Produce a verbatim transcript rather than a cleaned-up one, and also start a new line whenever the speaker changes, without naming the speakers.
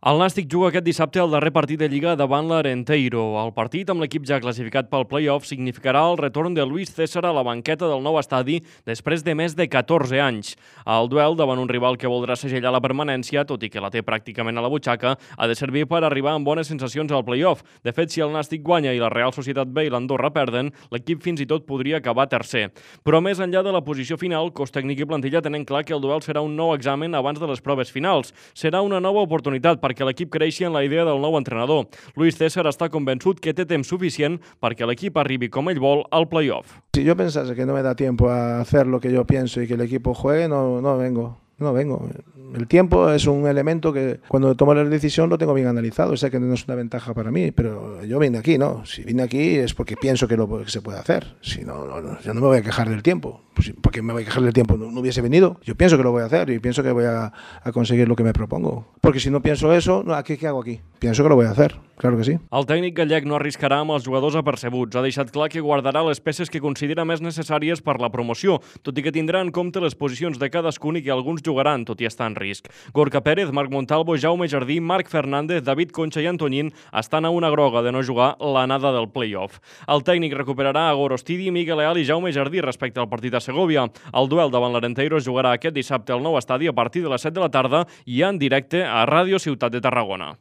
El Nàstic juga aquest dissabte el darrer partit de Lliga davant l'Arenteiro. El partit, amb l'equip ja classificat pel play-off, significarà el retorn de Luis César a la banqueta del nou estadi després de més de catorze anys. El duel davant un rival que voldrà segellar la permanència, tot i que la té pràcticament a la butxaca, ha de servir per arribar amb bones sensacions al play-off. De fet, si el Nàstic guanya i la Real Societat B i l'Andorra perden, l'equip fins i tot podria acabar tercer. Però més enllà de la posició final, cos tècnic i plantilla tenen clar que el duel serà un nou examen abans de les proves finals. Serà una nova oportunitat perquè l'equip creixi en la idea del nou entrenador. Luis César està convençut que té temps suficient perquè l'equip arribi com ell vol al play-off.
Si yo pensase que no me da tiempo a hacer lo que yo pienso y que el equipo juegue, no, no vengo. No vengo. El tiempo es un elemento que cuando tomo la decisión lo tengo bien analizado. Sé que no es una ventaja para mí, pero yo vine aquí, ¿no? Si vine aquí es porque pienso que lo que se puede hacer. Si no, no, no yo no me voy a quejar del tiempo. Pues, ¿por qué me voy a quejar del tiempo? No, no hubiese venido. Yo pienso que lo voy a hacer y pienso que voy a, a conseguir lo que me propongo. Porque si no pienso eso, no, ¿qué, ¿qué hago aquí? Pienso que lo voy a hacer, claro que sí.
El tècnic gallec no arriscarà amb els jugadors apercebuts. Ha deixat clar que guardarà les peces que considera més necessàries per la promoció, tot i que tindrà en compte les posicions de cadascun i que alguns jugaran, tot i estar en risc. Gorka Pérez, Marc Montalvo, Jaume Jardí, Marc Fernández, David Concha i Antoñín estan a una groga de no jugar l'anada del play-off. El tècnic recuperarà a Gorostidi, Miguel Leal i Jaume Jardí respecte al partit a Segovia. El duel davant l'Arenteiro es jugarà aquest dissabte al nou estadi a partir de les set de la tarda i en directe a Ràdio Ciutat de Tarragona.